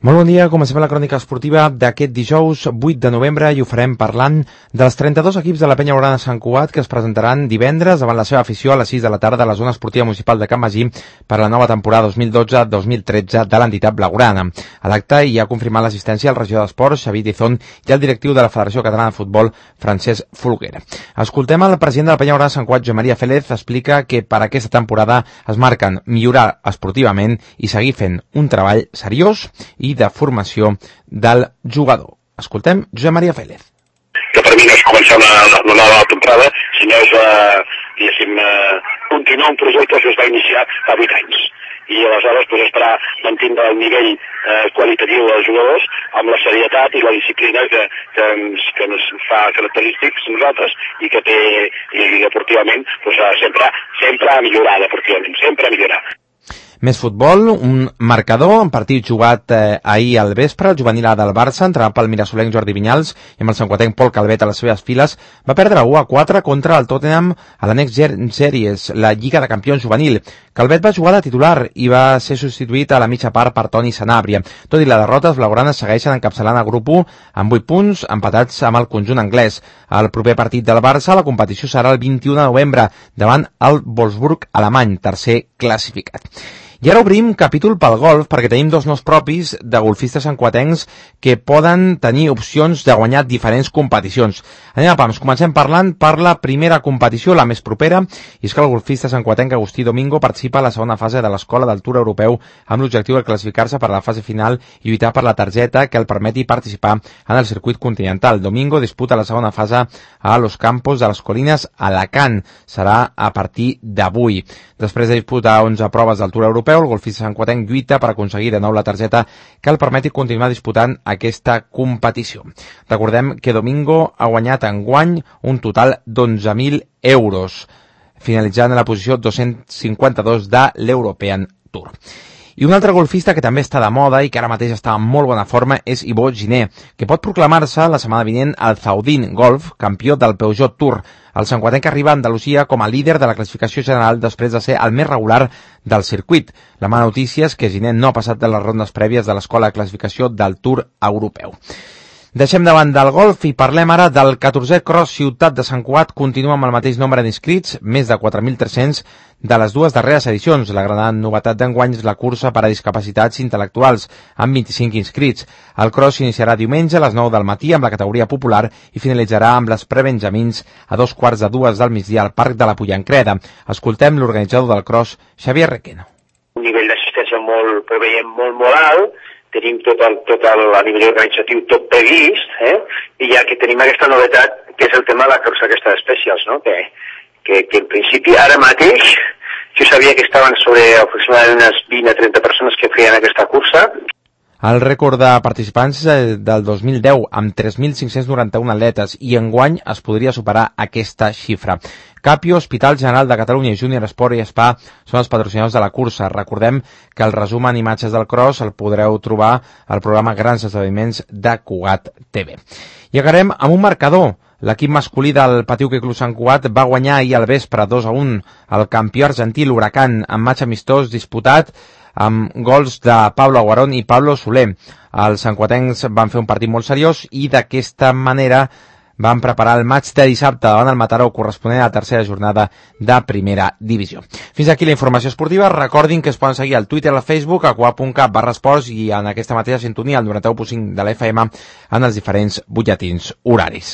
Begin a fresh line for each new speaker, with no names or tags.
Molt bon dia, comencem la crònica esportiva d'aquest dijous 8 de novembre i ho farem parlant dels 32 equips de la Penya Blaugrana Sant Cugat que es presentaran divendres davant la seva afició a les 6 de la tarda a la zona esportiva municipal de Can Magí per a la nova temporada 2012-2013 de l'entitat blaugrana. A l'acte hi ha confirmat l'assistència al regidor d'Esports, Xavier Tizón, i el directiu de la Federació Catalana de Futbol, Francesc Folguera. Escoltem el president de la Penya Blaugrana Sant Cugat, Josep Maria Félez, explica que per aquesta temporada es marquen millorar esportivament i seguir fent un treball seriós i de formació del jugador. Escoltem Josep Maria Félez.
Que per mi no és començar una nova temporada, sinó és, continuar un projecte que es va iniciar fa 8 anys. I aleshores esperar mantindre el nivell qualitatiu dels jugadors amb la serietat i la disciplina que ens fa característics nosaltres i que té deportivament sempre a millorar deportivament, sempre a millorar.
Més futbol, un marcador, un partit jugat ahir al vespre, el juvenil A del Barça, entrenat pel mirasolenc Jordi Vinyals i amb el santcuatenc Pol Calvet a les seves files, va perdre 1-4 contra el Tottenham a la Next Gen Series, la Lliga de Campions juvenil. Calvet va jugar de titular i va ser substituït a la mitja part per Toni Sanabria. Tot i la derrota, els blaugranes segueixen encapçalant el grup 1 amb 8 punts, empatats amb el conjunt anglès. El proper partit del Barça, la competició serà el 21 de novembre, davant el Wolfsburg alemany, tercer classificat. I ara obrim capítol pel golf perquè tenim dos noms propis de golfistes santcuatencs que poden tenir opcions de guanyar diferents competicions. Anem a pams, comencem parlant per la primera competició, la més propera, i és que el golfista santcuatenc Agustí Domingo participa a la segona fase de l'Escola del Tour Europeu amb l'objectiu de classificar-se per a la fase final i lluitar per la targeta que el permeti participar en el circuit continental. Domingo disputa la segona fase a Los Campos de les Colines, a Alacant. Serà a partir d'avui. Després de disputar 11 proves del Tour Europeu, el golfista santcuatenc lluita per aconseguir de nou la targeta que el permeti continuar disputant aquesta competició. Recordem que Domingo ha guanyat enguany un total d'11.000 euros, finalitzant en la posició 252 de l'European Tour. I un altre golfista que també està de moda i que ara mateix està en molt bona forma és Ivo Giner, que pot proclamar-se la setmana vinent al Zaudin Golf, campió del Peugeot Tour. El santcuatenc arriba a Andalusia com a líder de la classificació general després de ser el més regular del circuit. La mala notícia és que Giner no ha passat de les rondes prèvies de l'escola de classificació del Tour Europeu. Deixem davant del golf i parlem ara del 14è Cross Ciutat de Sant Cugat. Continua amb el mateix nombre d'inscrits, més de 4.300 de les dues darreres edicions. La gran novetat d'enguany és la cursa per a discapacitats intel·lectuals, amb 25 inscrits. El cross s'iniciarà diumenge a les 9 del matí amb la categoria popular i finalitzarà amb les prebenjamins a 2:15 del migdia al Parc de la Pollancreda. Escoltem l'organitzador del cross, Xavier Requeno.
Un nivell d'assistència molt alt, tenim tot a nivell organitzatiu tot previst, i ja que tenim aquesta novetat, que és el tema de la cursa aquesta d'especials, no? que en principi ara mateix jo sabia que estaven sobre aproximadament unes 20 a 30 persones que feien aquesta cursa.
El rècord de participants del 2010 amb 3.591 atletes i enguany es podria superar aquesta xifra. Capio, Hospital General de Catalunya i Júnior Esport i Spa són els patrocinadors de la cursa. Recordem que el resum en imatges del cross el podreu trobar al programa Grans Esdeveniments de Cugat TV. I acabarem amb un marcador. L'equip masculí del Patí Hoquei Club Sant Cugat va guanyar ahir al vespre 2-1 al campió argentí l'Huracán en matx amistós disputat amb gols de Pablo Aguarón i Pablo Soler. Els santcuatencs van fer un partit molt seriós i d'aquesta manera van preparar el maig de dissabte davant el Mataró corresponent a la tercera jornada de primera divisió. Fins aquí la informació esportiva. Recordin que es poden seguir al Twitter, al Facebook, a cugat.cat/esports i en aquesta mateixa sintonia, al 91.5 de la FM, en els diferents butlletins horaris.